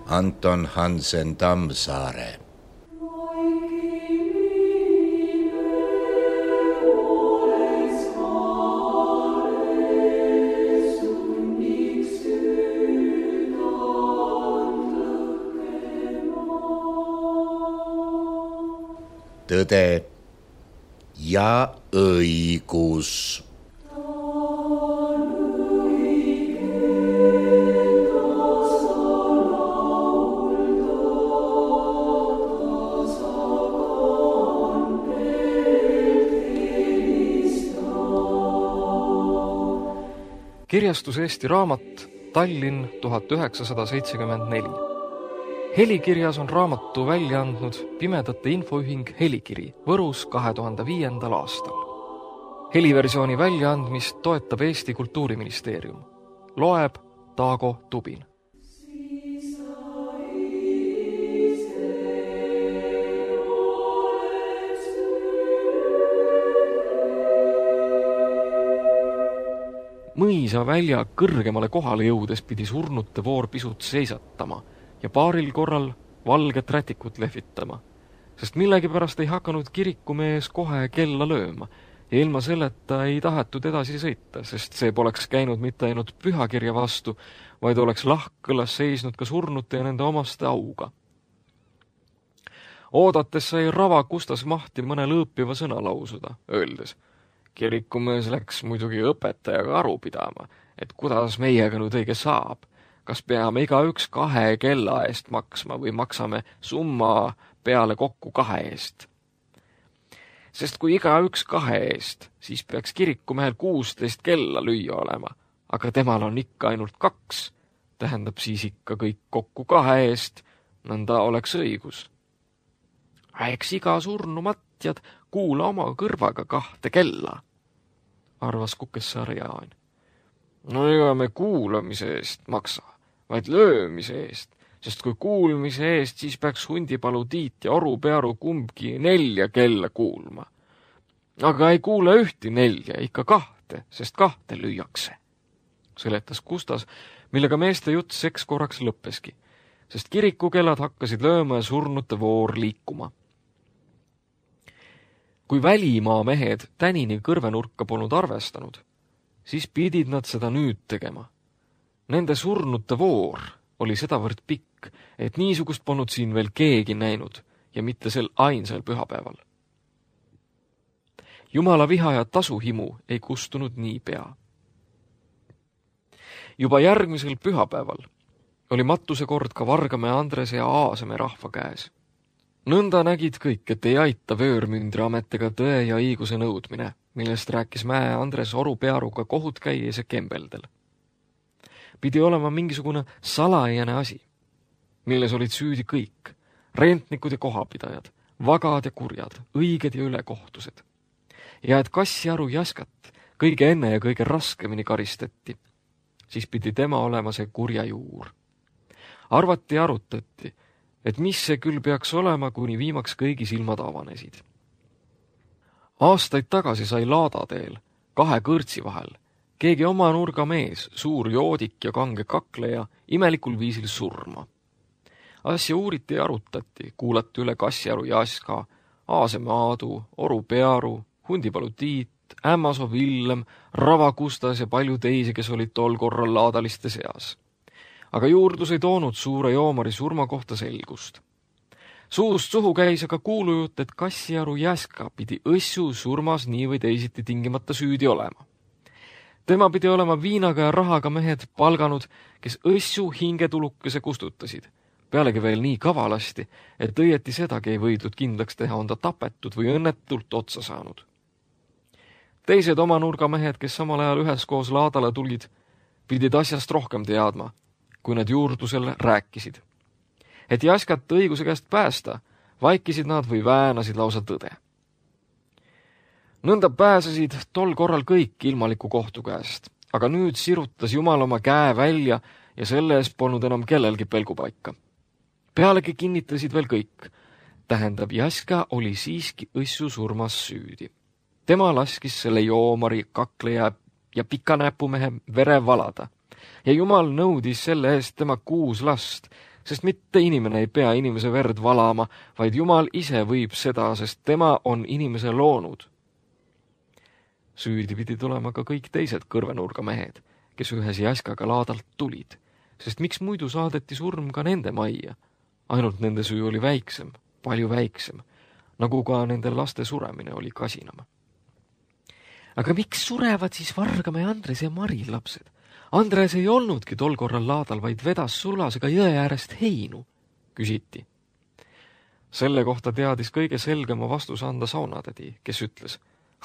Anton Hansen Tammsaare. Tõde ja õigus. Kirjastus Eesti Raamat, Tallinn 1974. Helikirjas on raamatu välja andnud Pimedate Infoühing Helikiri Võrus 2005. aastal. Heliversiooni väljaandmist toetab Eesti Kultuuriministeerium. Loeb Taago Tubin. Mõisa välja kõrgemale kohale jõudes pidi surnute voor pisut seisatama ja paaril korral valget rätikut lehvitama, sest millegipärast ei hakanud kirikumees kohe kella lööma ja ilma selleta ei tahetud edasi sõita, sest see poleks käinud mitte ainult pühakirja vastu, vaid oleks lahkkõlas seisnud ka surnute ja nende omaste auga. Oodates sai Rava Kustas Mahti mõne lõõpiva sõna lausuda, öeldes: kirikumees läks muidugi õpetajaga aru pidama, et kuidas meiega nüüd õige saab. Kas peame igaüks 2 kella eest maksma või maksame summa peale kokku 2 eest? Sest kui igaüks 2 eest, siis peaks kirikumehel 16 kella lüüa olema, aga temal on ikka ainult 2, tähendab siis ikka kõik kokku 2 eest, nõnda oleks õigus. Eks iga surnu matjad kuula oma kõrvaga 2 kella, arvas Kukessaare Jaan. No ega me kuulamise eest maksa, vaid löömise eest, sest kui kuulmise eest, siis peaks Hundipalu Tiit ja Oru Pearu kumbki 4 kella kuulma. Aga ei kuule ühti 4, ikka 2, sest 2 lüüakse, seletas Kustas, millega meeste jutt seks korraks lõppeski, sest kirikukellad hakkasid lööma ja surnute voor liikuma. Kui välimaa mehed tänini kõrvenurka polnud arvestanud, siis pidid nad seda nüüd tegema. Nende surnute voor oli sedavõrd pikk, et niisugust polnud siin veel keegi näinud ja mitte sel ainsal pühapäeval. Jumala viha ja tasuhimu ei kustunud niipea. Juba järgmisel pühapäeval oli matuse kord ka Vargamäe Andrese ja Aaseme rahva käes. Nõnda nägid kõik, et ei aita vöörmündri ametiga tõe ja õiguse nõudmine, millest rääkis Mäe Andres Oru Pearuga kohut käies ja kembeldel. Pidi olema mingisugune salajane asi, milles olid süüdi kõik, rentnikud ja kohapidajad, vagad ja kurjad, õiged ja ülekohtused. Ja et Kassiaru Jaskat kõige enne ja kõige raskemini karistati, siis pidi tema olema see kurja juur. Arvati ja arutati, et mis see küll peaks olema, kuni viimaks kõigi silmad avanesid. Aastaid tagasi sai Laadadeel 2 kõrtsi vahel keegi oma nurga mees, suur joodik ja kange kakleja, imelikul viisil surma. Asja uuriti ja arutati, kuulati üle Kassiaru Jaska, Aaseme Aadu, Oru Pearu, Hundipalu Tiit, Ämmasoo Villem, Rava Kustas ja palju teisi, kes olid tol korral laadaliste seas. Aga juurdlus ei toonud suure joomari surma kohta selgust. Suust suhu käis aga kuulujutt, et Kassiaru Jaska pidi õssu surmas nii või teisiti tingimata süüdi olema. Tema pidi olema viinaga ja rahaga mehed palganud, kes õssu hingetulukese kustutasid. Pealegi veel nii kavalasti, et õieti sedagi ei võidud kindlaks teha, on ta tapetud või õnnetult otsa saanud. Teised oma nurgamehed, kes samal ajal üheskoos laadale tulid, pidid asjast rohkem teadma, kui nad juurdlusel rääkisid. Et Jaskat õiguse käest päästa, vaikisid nad või väänasid lausa tõde. Nõnda pääsesid tol korral kõik ilmaliku kohtu käest, aga nüüd sirutas Jumal oma käe välja ja selle eest polnud enam kellelgi pelgupaika. Pealegi kinnitasid veel kõik. Tähendab, Jaska oli siiski õssu surmas süüdi. Tema laskis selle joomari, kakleja ja pikanäpumehe vere valada ja Jumal nõudis selle eest tema 6 last, sest mitte inimene ei pea inimese verd valama, vaid Jumal ise võib seda, sest tema on inimese loonud. Süüdi pidi tulema ka kõik teised kõrvenurga mehed, kes ühes jaskaga laadalt tulid, sest miks muidu saadeti surm ka nende majja? Ainult nende süü oli väiksem, palju väiksem, nagu ka nende laste suremine oli kasinam. Aga miks surevad siis Vargamäe Andres ja Mari lapsed? Andres ei olnudki tol korral laadal, vaid vedas sulasega jõe äärest heinu, küsiti. Selle kohta teadis kõige selgema vastus anda saunatädi, kes ütles,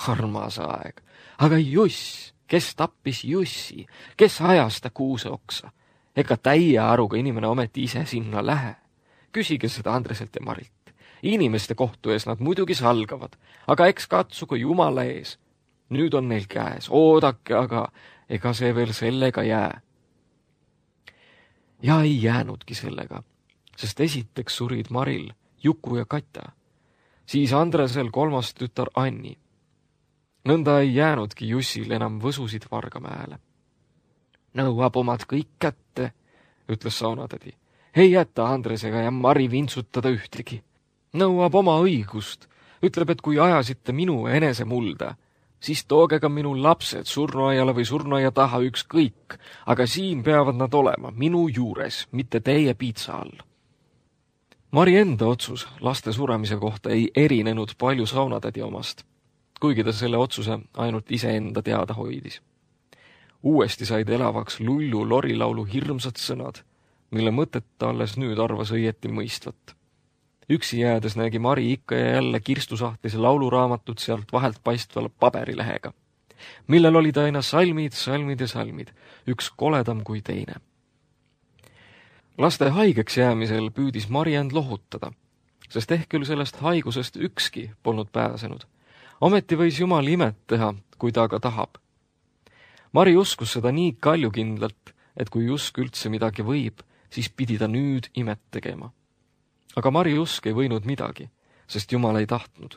armas aeg, aga Juss, kes tappis Jussi, kes ajas ta kuuse oksa? Ega täie aruga inimene ometi ise sinna lähe. Küsige seda Andreselt ja Marilt. Inimeste kohtu ees nad muidugi salgavad, aga eks katsugu Jumala ees. Nüüd on neil käes, oodake aga, ega see veel sellega jää. Ja ei jäänudki sellega, sest esiteks surid Maril, Juku ja Katja, siis Andresel kolmas tütar Anni. Nõnda ei jäänudki Jussil enam võsusid Vargamäele. Nõuab omad kõik kätte, ütles saunatädi. Ei jäta Andresega ja Mari vintsutada ühtegi. Nõuab oma õigust, ütleb, et kui ajasite minu enese mulda, siis tooge ka minu lapsed surnuaiale või surnuaia taha ükskõik, aga siin peavad nad olema minu juures, mitte teie piitsa all. Mari enda otsus laste suremise kohta ei erinenud palju saunatädi omast, kuigi ta selle otsuse ainult iseenda teada hoidis. Uuesti said elavaks Lullu lorilaulu hirmsad sõnad, mille mõtet ta alles nüüd arvas õieti mõistvat. Üksi jäädes nägi Mari ikka ja jälle kirstusahtlis lauluraamatut sealt vahelt paistval paberilehega, millel olid aina salmid, salmid ja salmid, üks koledam kui teine. Laste haigeks jäämisel püüdis Mari end lohutada, sest ehk küll sellest haigusest ükski polnud pääsenud. Ometi võis Jumal imet teha, kui ta aga tahab. Mari uskus seda nii kaljukindlalt, et kui usk üldse midagi võib, siis pidi ta nüüd imet tegema. Aga Mari usk ei võinud midagi, sest Jumal ei tahtnud.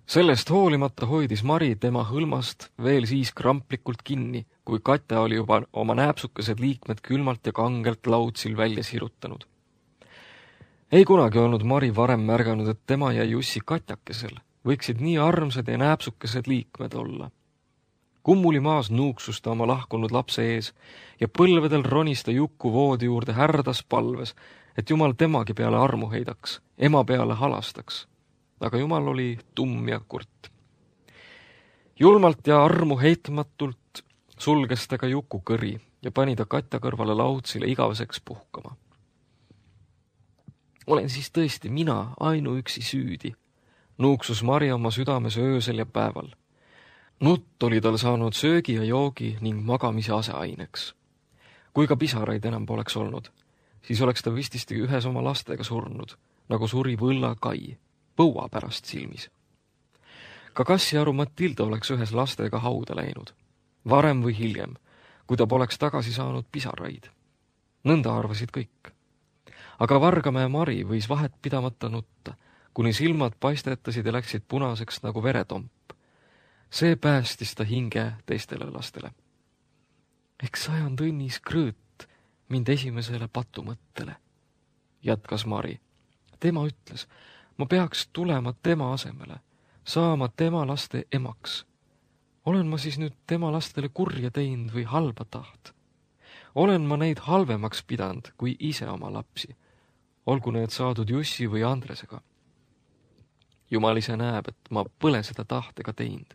Sellest hoolimata hoidis Mari tema hõlmast veel siis kramplikult kinni, kui Katja oli juba oma nääpsukesed liikmed külmalt ja kangelt laudsil välja sirutanud. Ei kunagi olnud Mari varem märganud, et tema ja Jussi Katjakesel võiksid nii armsad ja nääpsukesed liikmed olla. Kummuli maas nuuksus ta oma lahkunud lapse ees ja põlvedel ronis ta Juku voodi juurde härdas palves, et Jumal temagi peale armu heidaks, ema peale halastaks. Aga Jumal oli tumm ja kurt. Julmalt ja armu heitmatult sulges ta ka Juku kõri ja pani ta Katja kõrvale laudsile igaveseks puhkama. Olen siis tõesti mina ainuüksi süüdi, nuuksus Mari oma südames öösel ja päeval. Nutt oli tal saanud söögi ja joogi ning magamise aseaineks. Kui ka pisaraid enam poleks olnud, siis oleks ta vististi ühes oma lastega surnud, nagu suri Võlla Kai, põua pärast silmis. Ka Kassiaru Matilda oleks ühes lastega hauda läinud, varem või hiljem, kui ta poleks tagasi saanud pisaraid. Nõnda arvasid kõik. Aga Vargamäe Mari võis vahet pidamata nutta, kuni silmad paistetasid ja läksid punaseks nagu veretomp. See päästis ta hinge teistele lastele. Eks sajand õnnis krõõt mind esimesele patumõttele, jätkas Mari. Tema ütles, ma peaks tulema tema asemele, saama tema laste emaks. Olen ma siis nüüd tema lastele kurja teinud või halba taht? Olen ma neid halvemaks pidanud kui ise oma lapsi, olgu need saadud Jussi või Andresega. Jumal ise näeb, et ma pole seda tahtega teinud.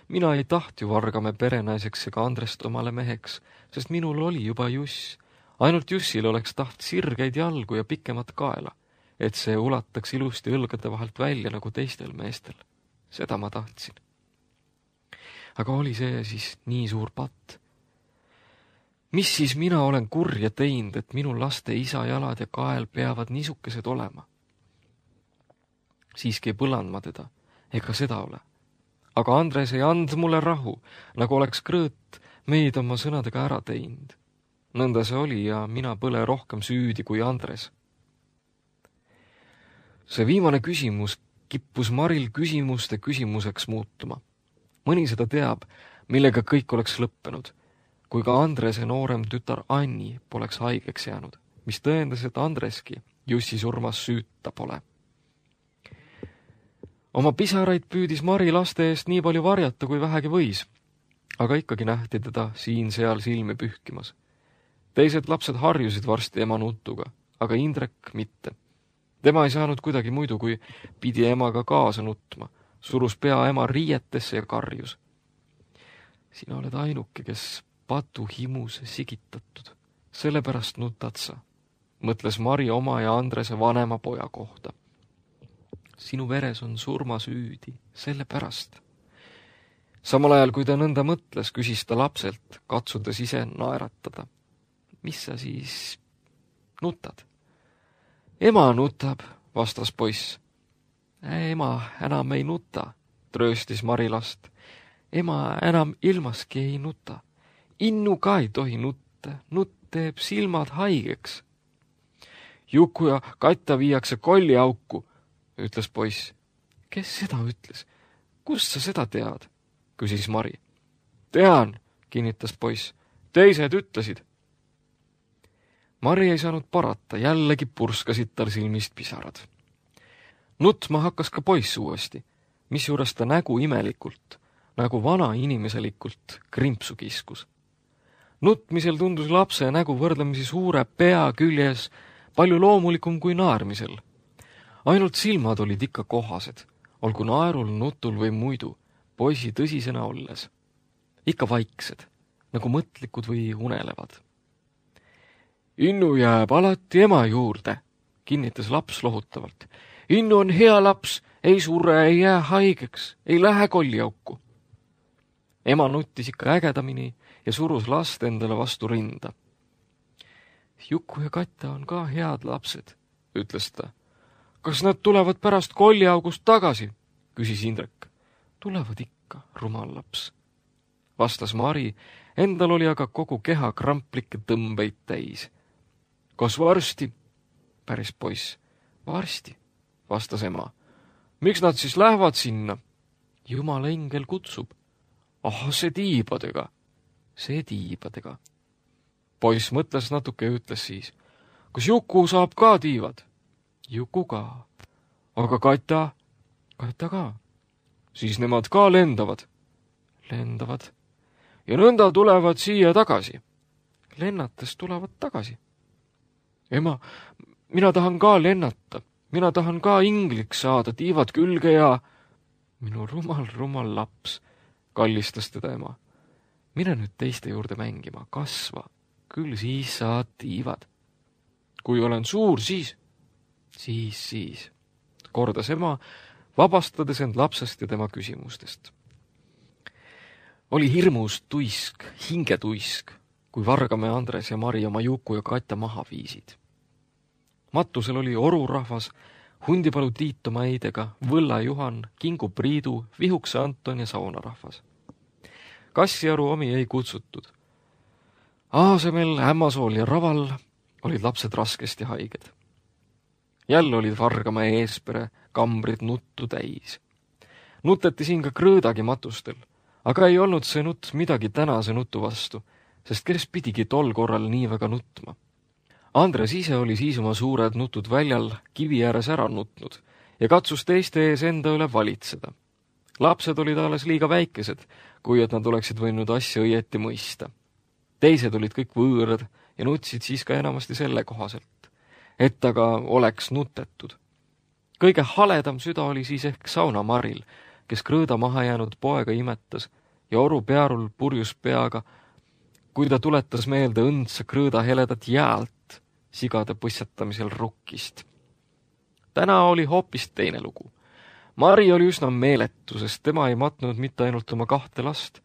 Mina ei taht ju Vargamäe perenaiseks ega Andrest omale meheks, sest minul oli juba Juss. Ainult Jussil oleks taht sirgeid jalgu ja pikemat kaela, et see ulataks ilusti õlgade vahelt välja nagu teistel meestel. Seda ma tahtsin. Aga oli see siis nii suur patt? Mis siis mina olen kurja teinud, et minu laste isa jalad ja kael peavad niisukesed olema? Siiski ei põlanud ma teda, ega seda ole. Aga Andres ei and mulle rahu, nagu oleks krõõt meid oma sõnadega ära teinud. Nõnda see oli ja mina põle rohkem süüdi kui Andres. See viimane küsimus kippus Maril küsimuste küsimuseks muutuma. Mõni seda teab, millega kõik oleks lõppenud, kui ka Andrese noorem tütar Anni poleks haigeks jäänud. mis tõendas, et Andreski Jussi surmas süüta pole. Oma pisaraid püüdis Mari laste eest nii palju varjata, kui vähegi võis, aga ikkagi nähti teda siin-seal silmi pühkimas. Teised lapsed harjusid varsti ema nutuga, aga Indrek mitte. Tema ei saanud kuidagi muidu, kui pidi emaga kaasa nutma, surus pea ema riietesse ja karjus. Sina oled ainuke, kes patu himus sigitatud, sellepärast nutad sa, mõtles Mari oma ja Andrese vanema poja kohta. Sinu veres on surmasüüdi, sellepärast. Samal ajal, kui ta nõnda mõtles, küsis ta lapselt, katsudes ise naeratada. Mis sa siis nutad? Ema nutab, vastas poiss. Ema enam ei nuta, trööstis Mari last. Ema enam ilmaski ei nuta. Innu ka ei tohi nutta, nutt teeb silmad haigeks. Juku ja Katja viiakse kolliauku, ütles poiss. Kes seda ütles? Kust sa seda tead? Küsis Mari. Tean, kinnitas poiss. Teised ütlesid. Mari ei saanud parata, jällegi purskasid tal silmist pisarad. Nutma hakkas ka poiss uuesti, misjuures ta nägu imelikult, nagu vana inimeselikult krimpsu kiskus. Nutmisel tundus lapse nägu võrdlemisi suure pea küljes palju loomulikum kui naermisel. Ainult silmad olid ikka kohased, olgu naerul, nutul või muidu, poisi tõsisena olles. Ikka vaiksed, nagu mõtlikud või unelevad. Innu jääb alati ema juurde, kinnitas laps lohutavalt. Innu on hea laps, ei surre, ei jää haigeks, ei lähe kolliauku. Ema nuttis ikka ägedamini ja surus last endale vastu rinda. Juku ja Katja on ka head lapsed, ütles ta. Kas nad tulevad pärast kolliaugust tagasi? Küsis Indrek. Tulevad ikka, rumal laps, vastas Mari, endal oli aga kogu keha kramplikke tõmbeid täis. Kas varsti? Päris poiss. Varsti, vastas ema. Miks nad siis lähevad sinna? Jumala engel kutsub. Ah, see tiibadega. See tiibadega. Poiss mõtles natuke ja ütles siis. Kas Juku saab ka tiivad? Juku ka. Aga Katja? Katja ka. Siis nemad ka lendavad. Lendavad. Ja nõnda tulevad siia tagasi. Lennates tulevad tagasi. Ema, mina tahan ka lennata. Mina tahan ka ingliks saada, tiivad külge ja... Minu rumal laps, kallistas teda ema. Mine nüüd teiste juurde mängima, kasva. Küll siis saad tiivad. Kui olen suur, siis... Siis, kordas ema, vabastades end lapsest ja tema küsimustest. Oli hirmus tuisk, hingetuisk, kui Vargamäe Andres ja Mari oma Juku ja Katja maha viisid. Matusel oli orurahvas, Hundipalu Tiit oma eidega, Võlla Juhan, Kingu Priidu, Vihukse Anton ja Saunarahvas. Kassiaru omi ei kutsutud. Aasemel, Ämmasool ja Raval olid lapsed raskesti haiged. Jälle olid Vargamäe eespere kambrid nuttu täis. Nuteti siin ka Krõõdagi matustel, aga ei olnud see nutt midagi tänase nutu vastu, sest kes pidigi tol korral nii väga nutma. Andres ise oli siis oma suured nutud väljal kivi ääres ära nutnud ja katsus teiste ees enda üle valitseda. Lapsed olid alles liiga väikesed, kui et nad oleksid võinud asja õieti mõista. Teised olid kõik võõrad ja nutsid siis ka enamasti selle kohaselt, et aga oleks nutetud. Kõige haledam süda oli siis ehk Sauna Maril, kes Krõõda maha jäänud poega imetas ja oru pearul purjus peaga, kui ta tuletas meelde õndsa Krõõda heledat jäält sigade põssetamisel rukkist. Täna oli hoopis teine lugu. Mari oli üsna meeletu, sest tema ei matnud mitte ainult oma 2 last,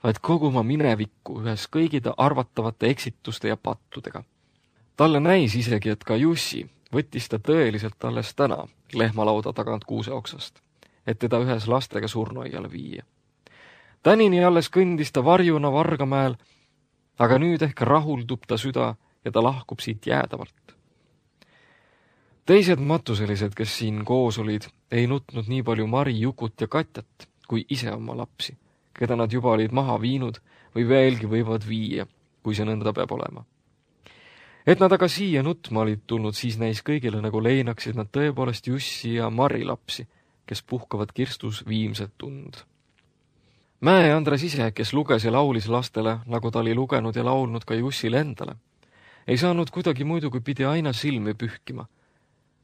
vaid kogu oma minevikku ühes kõigide arvatavate eksituste ja pattudega. Talle näis isegi, et ka Jussi võttis ta tõeliselt alles täna lehmalauda tagant kuuse oksast, et teda ühes lastega surnuaiale viia. Tänini alles kõndis ta varjuna Vargamäel, aga nüüd ehk rahuldub ta süda ja ta lahkub siit jäädavalt. Teised matuselised, kes siin koos olid, ei nutnud nii palju Mari, Jukut ja Katjat kui ise oma lapsi, keda nad juba olid maha viinud või veelgi võivad viia, kui see nõnda peab olema. Et nad aga siia nutma olid tulnud, siis näis kõigile, nagu leinaksid nad tõepoolest Jussi ja Mari lapsi, kes puhkavad kirstus viimset tund. Mäe Andres ise, kes luges ja laulis lastele, nagu ta oli lugenud ja laulnud ka Jussile endale, ei saanud kuidagi muidu, kui pidi aina silmi pühkima,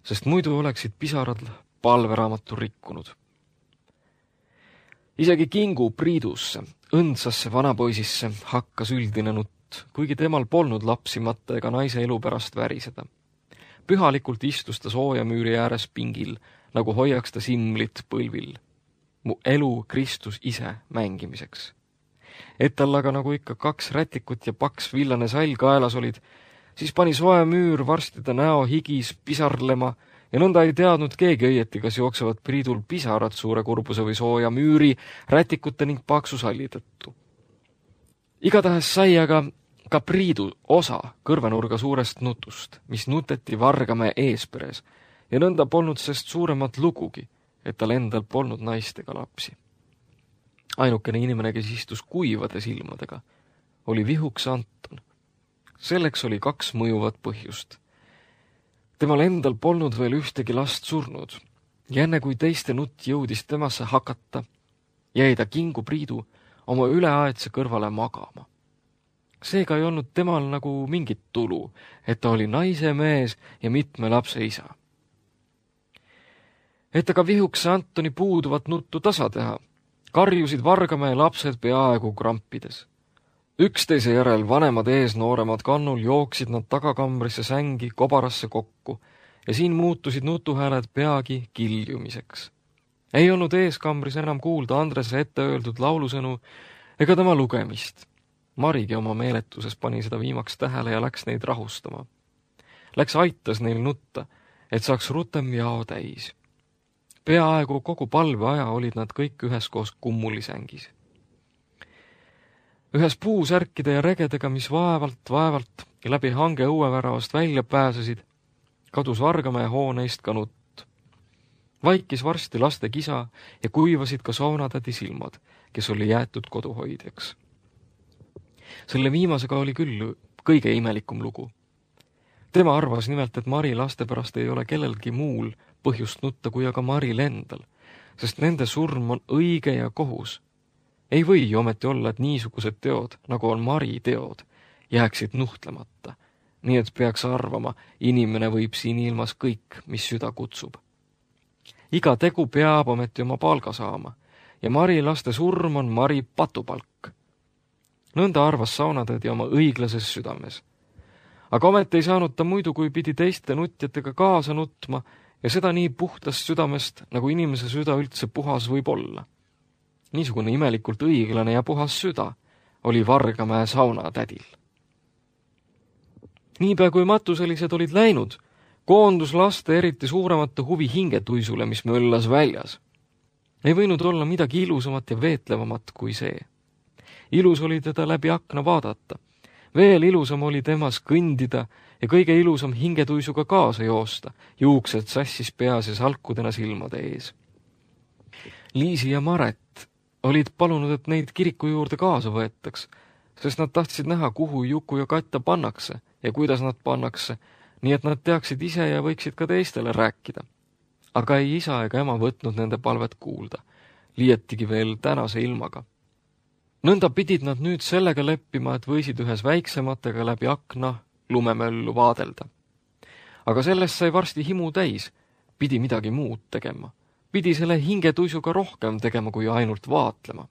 sest muidu oleksid pisarad palveraamatu rikkunud. Isegi Kingu Priidusse, õndsasse vanapoisisse, hakkas üldine nutt, kuigi temal polnud lapsi matta ega naise elu pärast väriseda. Pühalikult istus ta soojamüüri ääres pingil, nagu hoiaks ta simlit põlvil. Mu elu Kristus ise mängimiseks. Et tal aga nagu ikka 2 rätikut ja paks villane sall kaelas olid, siis pani soe müür varsti ta näo higis pisarlema ja nõnda ei teadnud keegi õieti, kas jooksevad Priidul pisarad suure kurbuse või sooja müüri, rätikute ning paksu salli tõttu. Igatahes sai aga ka Priidu osa kõrvenurga suurest nutust, mis nuteti Vargamäe eesperes ja nõnda polnud sest suuremat lugugi, et tal endal polnud naist ega lapsi. Ainukene inimene, kes istus kuivade silmadega, oli Vihuks Anton. Selleks oli 2 mõjuvat põhjust. Temal endal polnud veel ühtegi last surnud ja enne kui teiste nutt jõudis temasse hakata, jäi ta Kingu Priidu oma üleaedse kõrvale magama. Seega ei olnud temal nagu mingit tulu, et ta oli naise mees ja mitme lapse isa. Et aga Vihuks Antoni puuduvat nuttu tasa teha, karjusid Vargamäe lapsed peaaegu krampides. Üksteise järel vanemad ees nooremad kannul jooksid nad tagakambrisse sängi kobarasse kokku ja siin muutusid nutuhääled peagi kiljumiseks. Ei olnud eeskambris enam kuulda Andrese ette öeldud laulusõnu ega tema lugemist. Marigi oma meeletuses pani seda viimaks tähele ja läks neid rahustama. Läks aitas neil nutta, et saaks rutem jao täis. Peaaegu kogu palve aja olid nad kõik üheskoos kummulisängis. Ühes puusärkide ja regedega, mis vaevalt ja läbi hange õueväravast välja pääsesid, kadus Vargamäe hooneist ka nutt. Vaikis varsti laste kisa ja kuivasid ka soonatädi silmad, kes oli jäetud koduhoidjaks. Selle viimasega oli küll kõige imelikum lugu. Tema arvas nimelt, et Mari laste pärast ei ole kellelgi muul põhjust nutta kui aga Maril endal, sest nende surm on õige ja kohus. Ei või ju ometi olla, et niisugused teod, nagu on Mari teod, jääksid nuhtlemata, nii et peaks arvama, inimene võib siin ilmas kõik, mis süda kutsub. Iga tegu peab ometi oma palga saama ja Mari laste surm on Mari patupalk. Nõnda arvas saunatädi oma õiglases südames. Aga ometi ei saanud ta muidu, kui pidi teiste nutjatega kaasa nutma ja seda nii puhtast südamest, nagu inimese süda üldse puhas võib olla. Niisugune imelikult õiglane ja puhas süda oli Vargamäe saunatädil. Niipea kui matuselised olid läinud, koondus laste eriti suuremate huvi hingetuisule, mis möllas väljas. Ei võinud olla midagi ilusamat ja veetlevamat kui see. Ilus oli teda läbi akna vaadata. Veel ilusam oli temas kõndida ja kõige ilusam hingetuisuga kaasa joosta, juuksed sassis peas ja salkudena silmade ees. Liisi ja Maret olid palunud, et neid kiriku juurde kaasa võetaks, sest nad tahtsid näha, kuhu Juku ja Katja pannakse ja kuidas nad pannakse, nii et nad teaksid ise ja võiksid ka teistele rääkida. Aga ei isa ega ema võtnud nende palvet kuulda, liietigi veel tänase ilmaga. Nõnda pidid nad nüüd sellega leppima, et võisid ühes väiksematega läbi akna lumemöllu vaadelda. Aga sellest sai varsti himu täis, pidi midagi muud tegema. Pidi selle hingetuisuga rohkem tegema kui ainult vaatlema.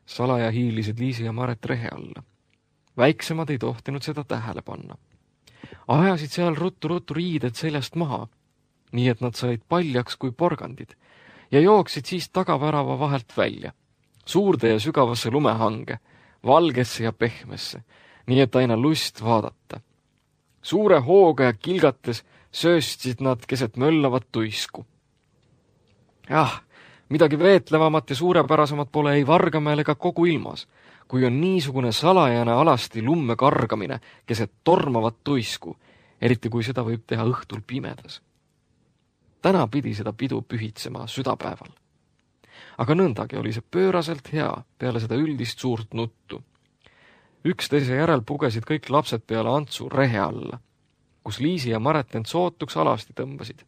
Salaja hiilisid Liisi ja Maret rehe alla. Väiksemad ei tohtinud seda tähele panna. Ajasid seal ruttu riided seljast maha, nii et nad said paljaks kui porgandid ja jooksid siis tagavärava vahelt välja. Suurde ja sügavasse lumehange, valgesse ja pehmesse, nii et aina lust vaadata. Suure hooga ja kilgates sööstsid nad keset möllavat tuisku. Midagi veetlevamat ja suurepärasemat pole ei Vargamäel ega kogu ilmas, kui on niisugune salajane alasti lumme kargamine keset tormavat tuisku, eriti kui seda võib teha õhtul pimedas. Täna pidi seda pidu pühitsema südapäeval. Aga nõndagi oli see pööraselt hea peale seda üldist suurt nuttu. Üksteise järel pugesid kõik lapsed peale Antsu rehe alla, kus Liisi ja Maret end sootuks alasti tõmbasid.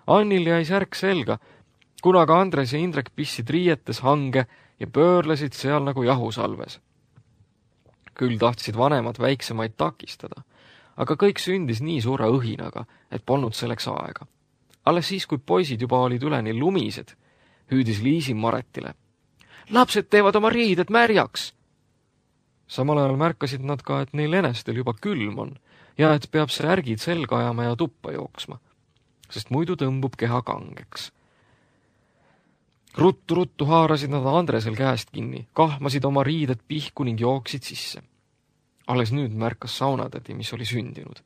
Annil jäi särk selga, kuna ka Andres ja Indrek pissid riietes hange ja pöörlesid seal nagu jahusalves. Küll tahtsid vanemad väiksemaid takistada, aga kõik sündis nii suure õhinaga, et polnud selleks aega. Alles siis, kui poisid juba olid üleni lumised, hüüdis Liisi Maretile. Lapsed teevad oma riided märjaks! Samal ajal märkasid nad ka, et neil enestel juba külm on ja et peab särgid selga ajama ja tuppa jooksma, sest muidu tõmbub keha kangeks. Ruttu haarasid nad Andresel käest kinni, kahmasid oma riided pihku ning jooksid sisse. Alles nüüd märkas saunatädi, mis oli sündinud.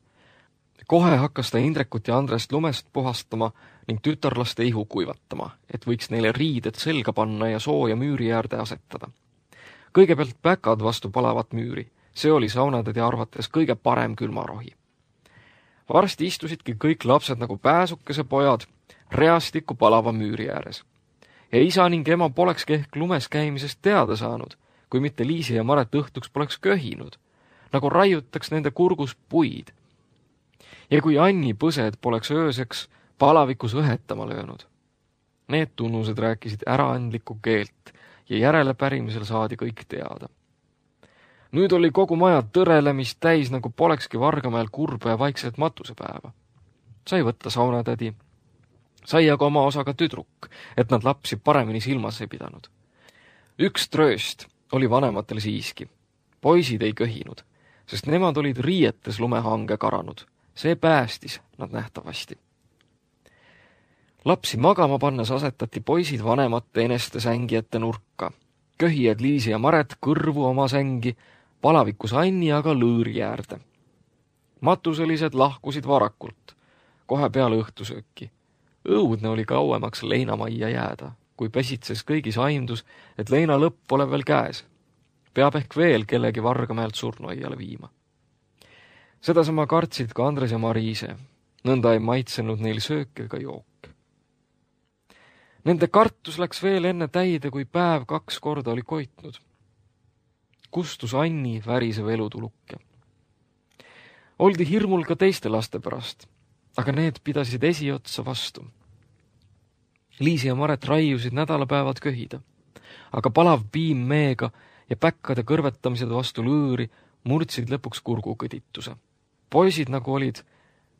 Kohe hakkas ta Indrekut ja Andrest lumest puhastama ning tütarlaste ihu kuivatama, et võiks neile riided selga panna ja sooja müüri äärde asetada. Kõigepealt päkad vastu palavat müüri, see oli saunatädi arvates kõige parem külmarohi. Varsti istusidki kõik lapsed nagu pääsukese pojad reastikku palava müüri ääres. Ja isa ning ema polekski ehk lumes käimisest teada saanud, kui mitte Liisi ja Maret õhtuks poleks köhinud, nagu raiutaks nende kurgus puid. Ja kui Anni põsed poleks ööseks palavikus õhetama löönud. Need tunnused rääkisid äraandlikku keelt ja järelepärimisel saadi kõik teada. Nüüd oli kogu maja tõrelemist täis, nagu polekski Vargamäel kurba ja vaikset matusepäeva. Sai võtta saunatädi, sai aga oma osaga tüdruk, et nad lapsi paremini silmas ei pidanud. Üks trööst oli vanematel siiski. Poisid ei köhinud, sest nemad olid riietes lumehange karanud. See päästis nad nähtavasti. Lapsi magama pannes asetati poisid vanemate eneste sängi ette nurka. Köhijad Liisi ja Maret kõrvu oma sängi, palavikus Anni aga lõõri äärde. Matuselised lahkusid varakult, kohe peale õhtusööki. Õudne oli kauemaks leinamajja jääda, kui pesitses kõigis aimdus, et leina lõpp pole veel käes. Peab ehk veel kellegi Vargamäelt surnuaiale viima. Sedasama kartsid ka Andres ja Mariise, nõnda ei maitsenud neil söök ega jook. Nende kartus läks veel enne täide, kui päev 2 korda oli koitnud. Kustus Anni värisev elutulukke. Oldi hirmul ka teiste laste pärast, aga need pidasid esiotsa vastu. Liisi ja Maret raiusid nädalapäevad köhida, aga palav piim meega ja päkkade kõrvetamised vastu lõõri murdsid lõpuks kurgukõdituse. Poisid nagu olid,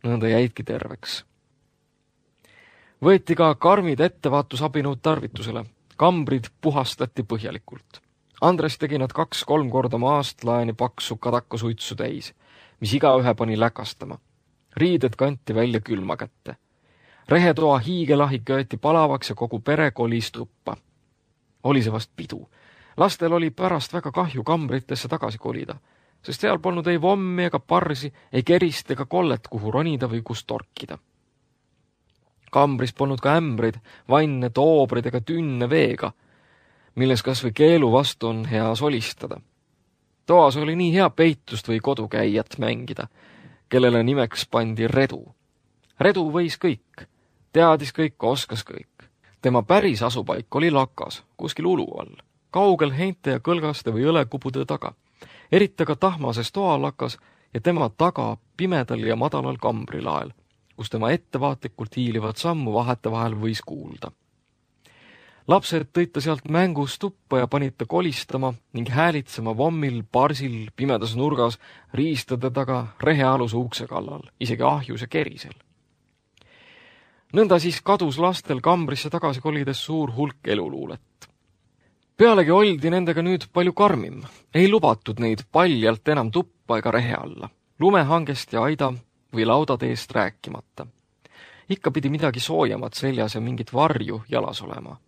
nõnda jäidki terveks. Võeti ka karmid ettevaatusabinõud tarvitusele. Kambrid puhastati põhjalikult. Andres tegi nad 2-3 korda maast laeni paksu kadakasuitsu täis, mis igaühe pani läkastama. Riided kanti välja külma kätte. Rehetoa hiigelahi kööti palavaks ja kogu pere kolis tuppa. Oli see vast pidu. Lastel oli pärast väga kahju kambritesse tagasi kolida, sest seal polnud ei vommi ega parsi, ei kerist ega kollet, kuhu ronida või kus torkida. Kambris polnud ka ämbreid, vanne, toobrid ega tünne veega, milles kas või keelu vastu on hea solistada. Toas oli nii hea peitust või kodukäijat mängida, kellele nimeks pandi Redu. Redu võis kõik, teadis kõik, oskas kõik. Tema päris asupaik oli lakas, kuskil ulu all, kaugel heinte ja kõlgaste või õlekupude taga. Erita ka tahmases toalakas ja tema taga pimedal ja madalal kambrilael, kus tema ettevaatlikult hiilivad sammu vahetevahel võis kuulda. Lapsed tõid ta sealt mängus tuppa ja panid ta kolistama ning häälitsema vommil, parsil, pimedas nurgas, riistade taga, rehealuse ukse kallal, isegi ahjus ja kerisel. Nõnda siis kadus lastel kambrisse tagasi kolides suur hulk eluluulet. Pealegi oldi nendega nüüd palju karmim. Ei lubatud neid paljalt enam tuppa ega rehe alla. Lumehangest ja aida või laudateest rääkimata. Ikka pidi midagi soojamat seljas ja mingit varju jalas olema.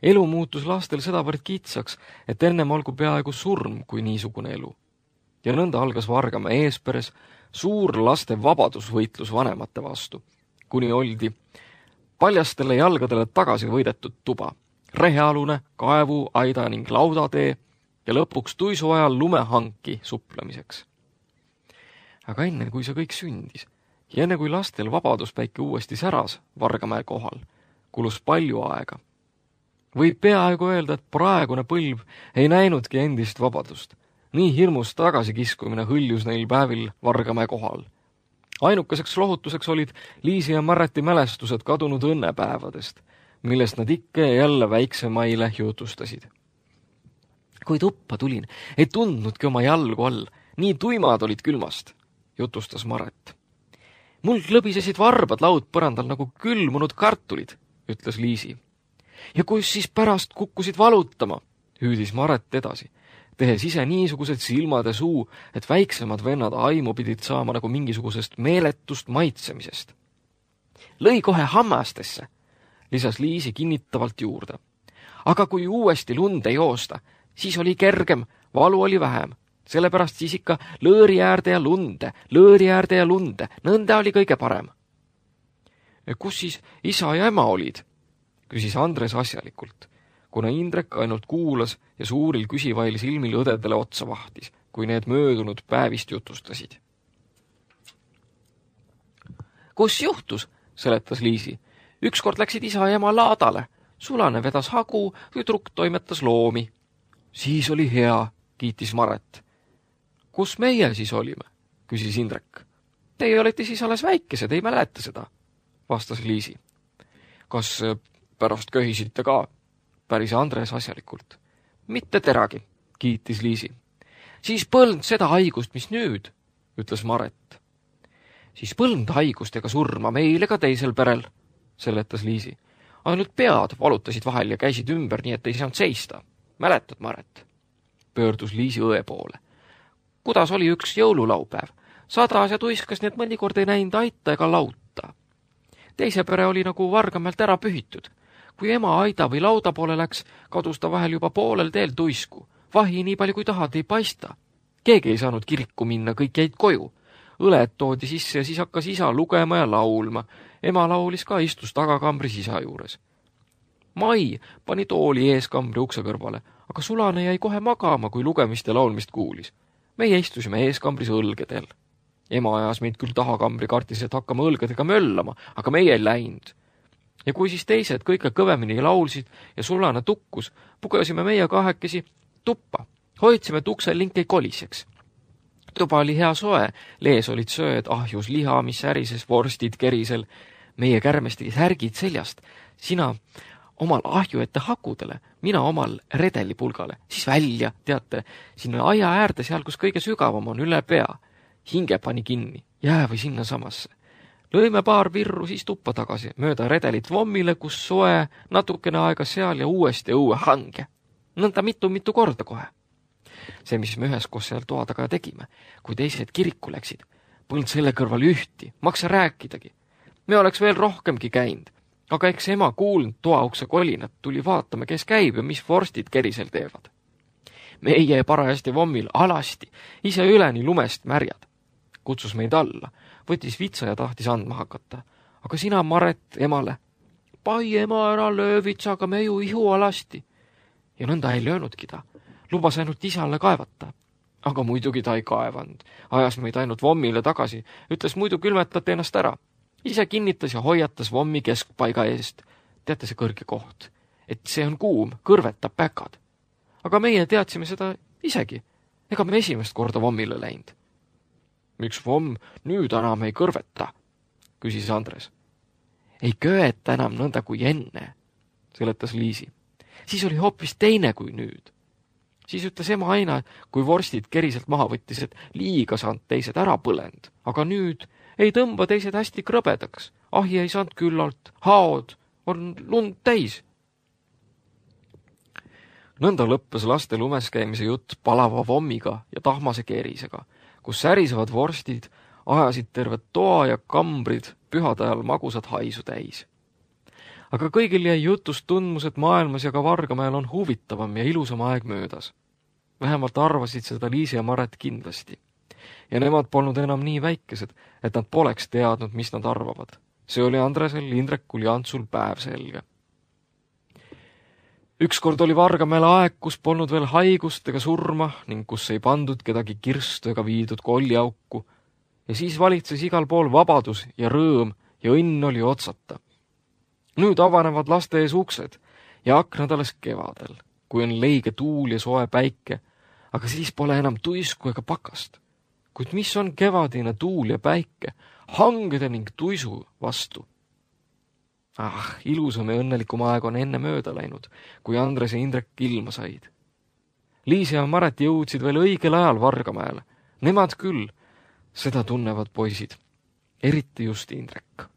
Elu muutus lastel sedavõrd kitsaks, et ennem olgu peaaegu surm kui niisugune elu. Ja nõnda algas Vargamäe eesperes suur laste vabadusvõitlus vanemate vastu, kuni oldi paljastele jalgadele tagasi võidetud tuba, rehealune, kaevu, aida ning laudatee ja lõpuks tuisu ajal lumehanki suplemiseks. Aga enne, kui see kõik sündis ja enne, kui lastel vabaduspäike uuesti säras Vargamäe kohal, kulus palju aega. Võib peaaegu öelda, et praegune põlv ei näinudki endist vabadust. Nii hirmus tagasikiskumine hõljus neil päevil Vargamäe kohal. Ainukeseks lohutuseks olid Liisi ja Marreti mälestused kadunud õnnepäevadest, millest nad ikka ja jälle väiksemaile jutustasid. Kui tuppa tulin, ei tundnudki oma jalgu all, nii tuimad olid külmast, jutustas Marret. Mul lõbisesid varbad laudpõrandal nagu külmunud kartulid, ütles Liisi. Ja kus siis pärast kukkusid valutama, hüüdis Marret edasi, tehes ise niisugused silmad ja suu, et väiksemad vennad aimu pidid saama nagu mingisugusest meeletust maitsemisest. Lõi kohe hammastesse, lisas Liisi kinnitavalt juurde. Aga kui uuesti lund ei joosta, siis oli kergem, valu oli vähem. Sellepärast siis ikka lõõri äärde ja lunde, nõnda oli kõige parem. Kus siis isa ja ema olid? Küsis Andres asjalikult, kuna Indrek ainult kuulas ja suuril küsivail silmil õdedele otsa vahtis, kui need möödunud päevist jutustasid. Kus juhtus, seletas Liisi. Ükskord läksid isa ja ema laadale, Sulane vedas hagu, tüdruk toimetas loomi. Siis oli hea, kiitis Marret. Kus meie siis olime, küsis Indrek. Teie olete siis alles väikesed, ei mäleta seda, vastas Liisi. Kas pärast köhisite ka, päris Andres asjalikult. Mitte teragi, kiitis Liisi. Siis põlnud seda haigust, mis nüüd, ütles Marret. Siis põlnud haigust ega surma meil ega teisel perel, seletas Liisi. Ainult pead valutasid vahel ja käisid ümber, nii et ei saanud seista. Mäletad, Marret? Pöördus Liisi õe poole. Kuidas oli üks jõululaupäev? Sadas ja tuiskas, nii et mõnikord ei näinud aita ega lauta. Teise pere oli nagu Vargamäelt ära pühitud. Kui ema aida või lauda poole läks, kadus ta vahel juba poolel teel tuisku. Vahi nii palju kui tahad ei paista. Keegi ei saanud kirikku minna, kõik jäid koju. Õled toodi sisse ja siis hakkas isa lugema ja laulma. Ema laulis ka, istus tagakambris isa juures. Mai pani tooli eeskambri ukse kõrvale, aga Sulane jäi kohe magama, kui lugemist ja laulmist kuulis. Meie istusime eeskambris õlgedel. Ema ajas meid küll tahakambri kartis, et hakkame õlgedega möllama, aga meie ei läinud. Ja kui siis teised kõige kõvemini laulsid ja Sulane tukkus, pugesime meie kahekesi tuppa. Hoidsime, et uksel link ei koliseks. Tuba oli hea soe, lees olid sööd, ahjus liha, mis ärises, vorstid kerisel. Meie kärmesti särgid seljast. Sina omal ahju ette hakudele, mina omal redelipulgale, siis välja, teate, sinna aia äärde seal, kus kõige sügavam on, üle pea. Hinge pani kinni, jää või sinna samasse. Lõime paar virru siis tuppa tagasi, mööda redelit vommile, kus soe, natukene aega seal ja uuesti õue hange. Nõnda mitu korda kohe. See, mis me üheskoos seal toa taga tegime, kui teised kiriku läksid, polnud selle kõrval ühti, maksa rääkidagi. Me oleks veel rohkemgi käinud, aga eks ema kuulnud toaukse kolinat, tuli vaatama, kes käib ja mis vorstid kerisel teevad. Meie parajasti vommil alasti, ise üleni lumest märjad. Kutsus meid alla, võttis vitsa ja tahtis andma hakata. Aga sina, Marret, emale, pai ema ära löö vitsaga, me ju ihu alasti. Ja nõnda ei löönudki ta. Lubas ainult isale kaevata. Aga muidugi ta ei kaevanud. Ajas meid ainult vommile tagasi. Ütles, muidu külmetate ennast ära. Ise kinnitas ja hoiatas vommi keskpaiga eest. Teate see kõrge koht. Et see on kuum, kõrvetab päkad. Aga meie teadsime seda isegi. Ega me esimest korda vommile läinud. Miks vomm nüüd enam ei kõrveta? Küsis Andres. Ei köeta enam nõnda kui enne, seletas Liisi. Siis oli hoopis teine kui nüüd. Siis ütles ema aina, kui vorstid keriselt maha võttis, et liiga saanud teised ära põlend. Aga nüüd ei tõmba teised hästi krõbedaks. Ahi ei saanud küllalt, haod on lund täis. Nõnda lõppes laste lumes käimise jutt palava vommiga ja tahmase kerisega, kus särisevad vorstid ajasid tervet toa ja kambrid pühade ajal magusad haisu täis. Aga kõigil jäi jutust tundmus, et maailmas ja ka Vargamäel on huvitavam ja ilusam aeg möödas. Vähemalt arvasid seda Liisi ja Marret kindlasti. Ja nemad polnud enam nii väikesed, et nad poleks teadnud, mis nad arvavad. See oli Andresel, Indrekul ja Antsul päev selge. Ükskord oli Vargamäel aeg, kus polnud veel haigust ega surma ning kus ei pandud kedagi kirstu ega viidud kolliauku. Ja siis valitses igal pool vabadus ja rõõm ja õnn oli otsata. Nüüd avanevad laste ees uksed ja aknad alles kevadel, kui on leige tuul ja soe päike, aga siis pole enam tuisku ega pakast. Kuid mis on kevadine tuul ja päike, hangede ning tuisu vastu? Ilusam ja õnnelikum aeg on enne mööda läinud, kui Andres ja Indrek ilma said. Liis ja Maret jõudsid veel õigel ajal Vargamäele. Nemad küll, seda tunnevad poisid, eriti just Indrek.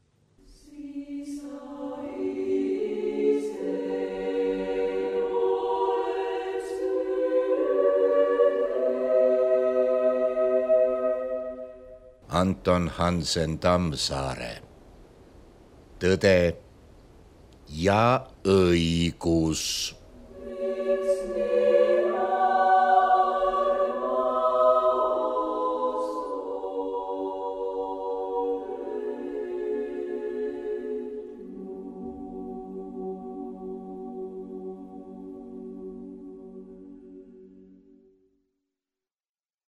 Anton Hansen Tammsaare. Tõde ja õigus.